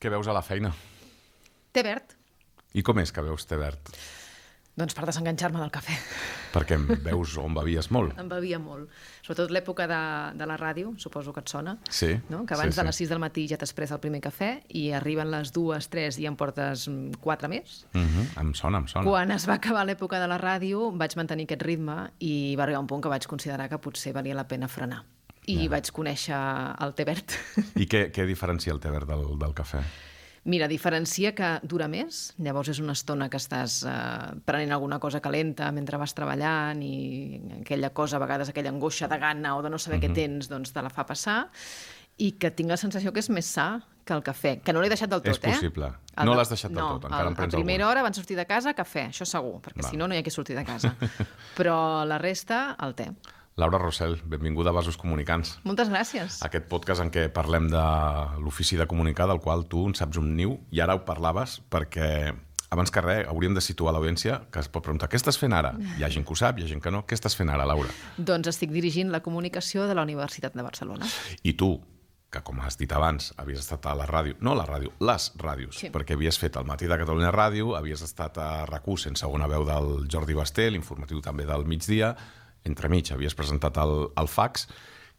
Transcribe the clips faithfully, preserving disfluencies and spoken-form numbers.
Què veus a la feina? Té verd. I com és que veus té verd? Doncs per desenganxar-me del cafè. Perquè em veus on bevies molt. Em bevia molt. Sobretot l'època de, de la ràdio, suposo que et sona. Sí. No? Que abans sí, de les sí. sis del matí ja t'has pres el primer cafè i arriben les dues, tres i em portes quatre més. Uh-huh. Em sona, em sona. Quan es va acabar l'època de la ràdio vaig mantenir aquest ritme i va arribar un punt que vaig considerar que potser valia la pena frenar. I ja. vaig conèixer el té verd. I què, què diferencia el té verd del, del cafè? Mira, diferencia que dura més, llavors és una estona que estàs eh, prenent alguna cosa calenta mentre vas treballant i aquella cosa, a vegades aquella angoixa de gana o de no saber uh-huh. què tens, doncs te la fa passar, i que tinc la sensació que és més sa que el cafè, que no l'he deixat del tot, és possible. eh? El no l'has deixat del no, tot, encara el, en prens a primera algun. hora van sortir de casa, cafè, això segur, perquè Va. si no, no hi ha qui sortir de casa. Però la resta, el té. Laura Rossell, benvinguda a Vasos Comunicants. Moltes gràcies. Aquest podcast en què parlem de l'ofici de comunicar, del qual tu en saps un niu, i ara ho parlaves perquè, abans que res, hauríem de situar l'audiència que es pot preguntar, què estàs fent ara? Hi ha gent que ho sap, hi ha gent que no. Què estàs fent ara, Laura? Doncs estic dirigint la comunicació de la Universitat de Barcelona. I tu, que com has dit abans, havies estat a la ràdio, no a la ràdio, les ràdios, sí. perquè havies fet el Matí de Catalunya Ràdio, havies estat a RAC u sent segona veu del Jordi Basté, l'informatiu també del migdia, entremig havies presentat el, el fax.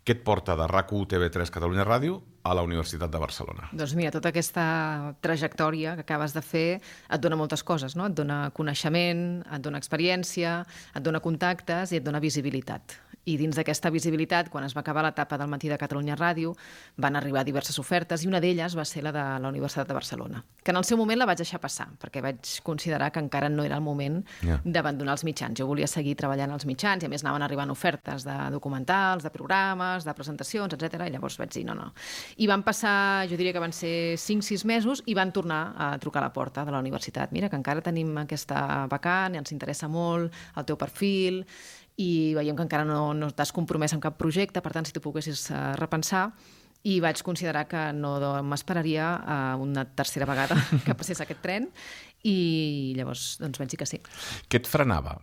Què et porta de RAC u, T V tres, Catalunya Ràdio a la Universitat de Barcelona? Doncs mira, tota aquesta trajectòria que acabes de fer et dona moltes coses, no? Et dona coneixement, et dona experiència, et dona contactes i et dona visibilitat. I dins d'aquesta visibilitat, quan es va acabar l'etapa del Matí de Catalunya Ràdio, van arribar diverses ofertes i una d'elles va ser la de la Universitat de Barcelona, que en el seu moment la vaig deixar passar, perquè vaig considerar que encara no era el moment yeah. d'abandonar els mitjans. Jo volia seguir treballant als mitjans i a més anaven arribant ofertes de documentals, de programes, de presentacions, etcètera. I llavors vaig dir no, no. I van passar, jo diria que van ser cinc sis mesos i van tornar a trucar a la porta de la universitat. Mira, que encara tenim aquesta vacant, ens interessa molt el teu perfil i veiem que encara no, no t'has compromès amb cap projecte, per tant, si tu poguessis uh, repensar, i vaig considerar que no m'esperaria uh, una tercera vegada que passés aquest tren, i llavors doncs, vaig dir que sí. Què et frenava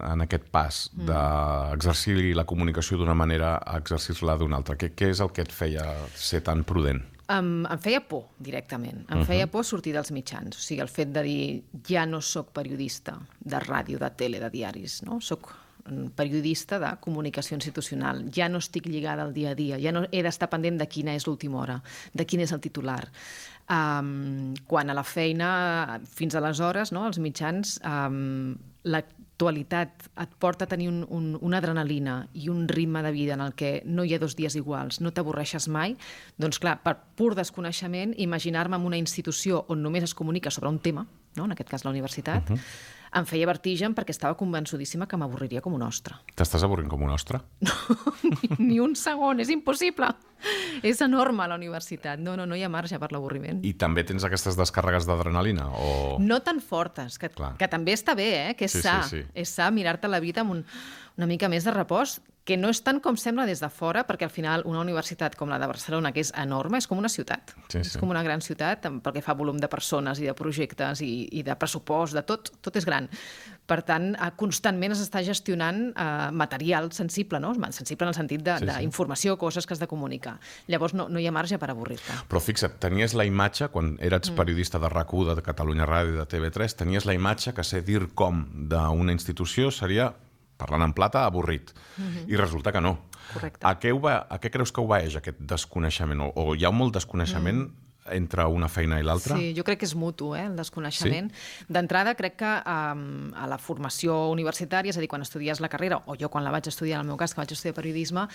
en aquest pas mm. d'exercir la comunicació d'una manera a exercir-la d'una altra? Què, què és el que et feia ser tan prudent? Em, em feia por, directament. Em uh-huh. feia por sortir dels mitjans. O sigui, el fet de dir, ja no sóc periodista de ràdio, de tele, de diaris, no? Soc periodista de comunicació institucional. Ja no estic lligada al dia a dia, ja no he d'estar pendent de quina és l'última hora, de quin és el titular. Um, quan a la feina, fins aleshores, no, els mitjans, um, l'actualitat et porta a tenir un, un, una adrenalina i un ritme de vida en el que no hi ha dos dies iguals, no t'avorreixes mai, doncs clar, per pur desconeixement, imaginar-me en una institució on només es comunica sobre un tema, no, en aquest cas la universitat, uh-huh. em feia vertigen perquè estava convençudíssima que m'avorriria com un ostre. T'estàs avorrint com un ostre? No, ni, ni un segon, és impossible. És enorme la universitat. No, no, no hi ha marge per l'avorriment. I també tens aquestes descàrregues d'adrenalina? O... No tan fortes, que, que també està bé, eh? Que és sí, sa. Sí, sí. És sa mirar-te la vida amb un, una mica més de repòs, que no és tant com sembla des de fora, perquè al final una universitat com la de Barcelona, que és enorme, és com una ciutat. Sí, és sí. com una gran ciutat, perquè fa volum de persones i de projectes i, i de pressupost, de tot, tot és gran. Per tant, constantment es està gestionant eh, material sensible, no? Sensible en el sentit d'informació, sí, sí. coses que has de comunicar. Llavors no, no hi ha marge per avorrir-te. Però fixa't, tenies la imatge, quan eres mm. periodista de RAC u, de Catalunya Ràdio, de T V tres, tenies la imatge que ser dir com d'una institució seria, parlant en plata, avorrit. Mm-hmm. I resulta que no. Correcte. A què, va, a què creus que obeeix aquest desconeixement? O, o hi ha molt desconeixement mm. entre una feina i l'altra? Sí, jo crec que és mutu, eh, el desconeixement. Sí? D'entrada, crec que um, a la formació universitària, és a dir, quan estudies la carrera, o jo quan la vaig estudiar, en el meu cas, que vaig estudiar periodisme,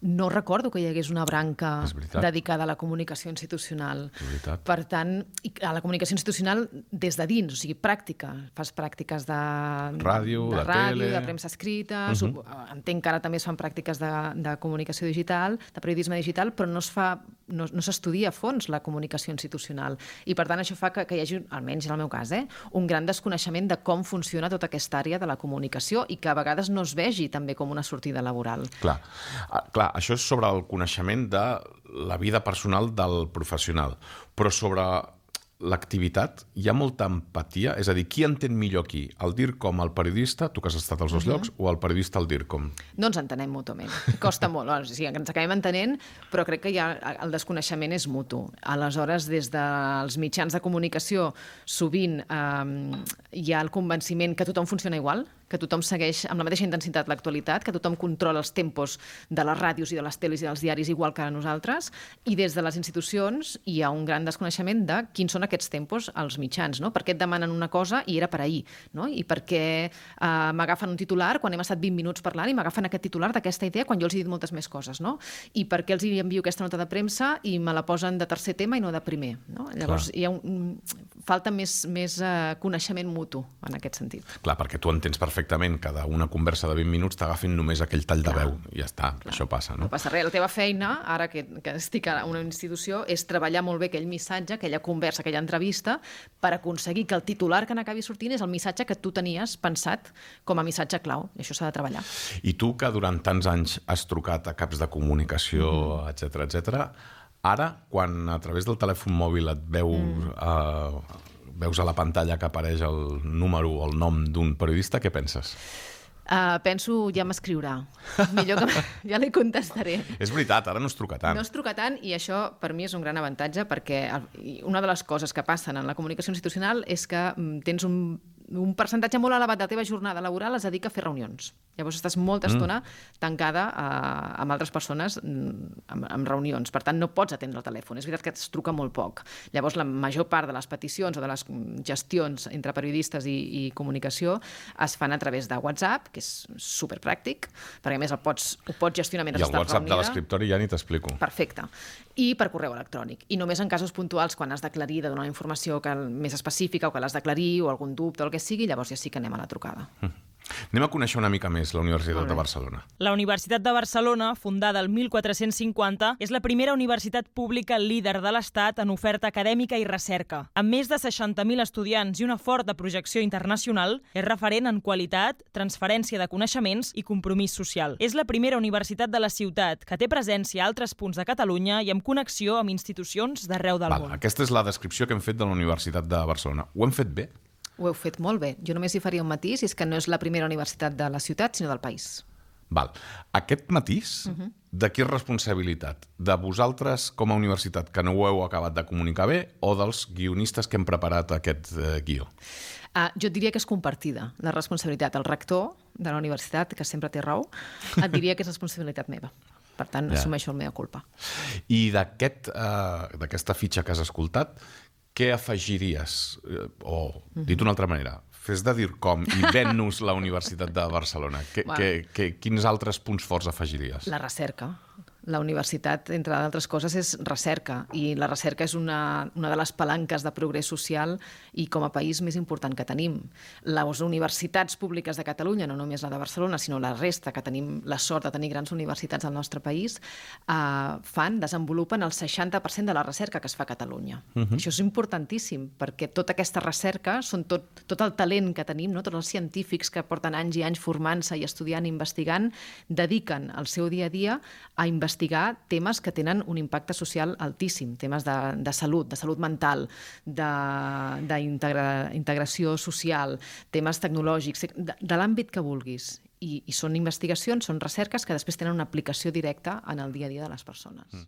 no recordo que hi hagués una branca dedicada a la comunicació institucional. Per tant, a la comunicació institucional des de dins, o sigui, pràctica. Fas pràctiques de ràdio, de, de, ràdio, tele... de premsa escrita, uh-huh. entenc que ara també es fan pràctiques de, de comunicació digital, de periodisme digital, però no es fa, no, no s'estudia a fons la comunicació institucional. I per tant això fa que, que hi hagi, almenys en el meu cas, eh, un gran desconeixement de com funciona tota aquesta àrea de la comunicació i que a vegades no es vegi també com una sortida laboral. Clar, ah, clar, això és sobre el coneixement de la vida personal del professional, però sobre l'activitat, hi ha molta empatia? És a dir, qui entén millor qui? El DIRCOM, el periodista, tu que has estat als dos uh-huh. llocs, o el periodista, el DIRCOM? No ens entenem mútuament. Costa molt. O sigui, ens acabem entenent, però crec que ja el desconeixement és mutu. Aleshores, des dels mitjans de comunicació, sovint eh, hi ha el convenciment que tothom funciona igual, que tothom segueix amb la mateixa intensitat l'actualitat, que tothom controla els tempos de les ràdios i de les teles i dels diaris igual que nosaltres, i des de les institucions hi ha un gran desconeixement de quins són aquests tempos als mitjans, no? Per què et demanen una cosa i era per ahir, no? I per què eh, m'agafen un titular quan hem estat vint minuts parlant i m'agafen aquest titular d'aquesta idea quan jo els he dit moltes més coses, no? I per què els hi envio aquesta nota de premsa i me la posen de tercer tema i no de primer, no? Llavors Clar. hi ha un, falta més, més eh, coneixement mutu en aquest sentit. Clar, perquè tu entens perfectament que d'una conversa de vint minuts t'agafin només aquell tall de veu i ja està, Clar. això passa, no? No passa res, la teva feina, ara que, que estic a una institució, és treballar molt bé aquell missatge, aquella conversa, aquella entrevista, per aconseguir que el titular que n'acabi sortint és el missatge que tu tenies pensat com a missatge clau, i això s'ha de treballar. I tu, que durant tants anys has trucat a caps de comunicació, mm. etcètera, etcètera, ara, quan a través del telèfon mòbil et veu... Mm. Eh, veus a la pantalla que apareix el número o el nom d'un periodista, què penses? Uh, penso, ja m'escriurà. Millor que ja li contestaré. És veritat, ara no es truca tant. No es truca tant i això per mi és un gran avantatge perquè una de les coses que passen en la comunicació institucional és que tens un, un percentatge molt elevat de la teva jornada laboral es dedica a fer reunions. Llavors estàs molta estona mm. tancada uh, amb altres persones amb, amb reunions. Per tant, no pots atendre el telèfon. És veritat que es truca molt poc. Llavors, la major part de les peticions o de les gestions entre periodistes i, i comunicació es fan a través de WhatsApp, que és superpràctic, perquè a més el pots, ho pots gestionar mentre estàs reunida. I el WhatsApp de l'escriptori ja ni t'explico. Perfecte. I per correu electrònic. I només en casos puntuals, quan has d'aclarir, de donar una informació que, més específica o que l'has d'aclarir o algun dubte o el que sigui, llavors ja sí que anem a la trucada. Mm. Anem a conèixer una mica més la Universitat de Barcelona. La Universitat de Barcelona, fundada el mil quatre-cents cinquanta, és la primera universitat pública líder de l'Estat en oferta acadèmica i recerca. Amb més de seixanta mil estudiants i una forta projecció internacional, és referent en qualitat, transferència de coneixements i compromís social. És la primera universitat de la ciutat que té presència a altres punts de Catalunya i amb connexió amb institucions d'arreu del Val, món. Aquesta és la descripció que hem fet de la Universitat de Barcelona. Ho hem fet bé? Ho heu fet molt bé. Jo només hi faria un matís, i és que no és la primera universitat de la ciutat, sinó del país. Val. Aquest matís, uh-huh. de qui és responsabilitat? De vosaltres com a universitat que no ho heu acabat de comunicar bé o dels guionistes que hem preparat aquest eh, guió? Uh, jo et diria que és compartida, la responsabilitat. El rector de la universitat, que sempre té raó, et diria que és responsabilitat meva. Per tant, ja. assumeixo la meva culpa. I d'aquest, uh, d'aquesta fitxa que has escoltat, què afegiries? O, dit d'una altra manera, fes de DIRCOM i ven-nos la Universitat de Barcelona. Que, wow. que, que, quins altres punts forts afegiries? La recerca. La universitat, entre d'altres coses, és recerca, i la recerca és una, una de les palanques de progrés social i com a país més important que tenim. Les universitats públiques de Catalunya, no només la de Barcelona, sinó la resta, que tenim la sort de tenir grans universitats al nostre país, eh, fan, desenvolupen el seixanta per cent de la recerca que es fa a Catalunya. Uh-huh. Això és importantíssim, perquè tota aquesta recerca són tot, tot el talent que tenim, no? Tots els científics que porten anys i anys formant-se i estudiant i investigant, dediquen el seu dia a dia a investigar investigar temes que tenen un impacte social altíssim, temes de, de salut, de salut mental, d'integració social, temes tecnològics, de, de l'àmbit que vulguis. I, I són investigacions, són recerques que després tenen una aplicació directa en el dia a dia de les persones. Mm.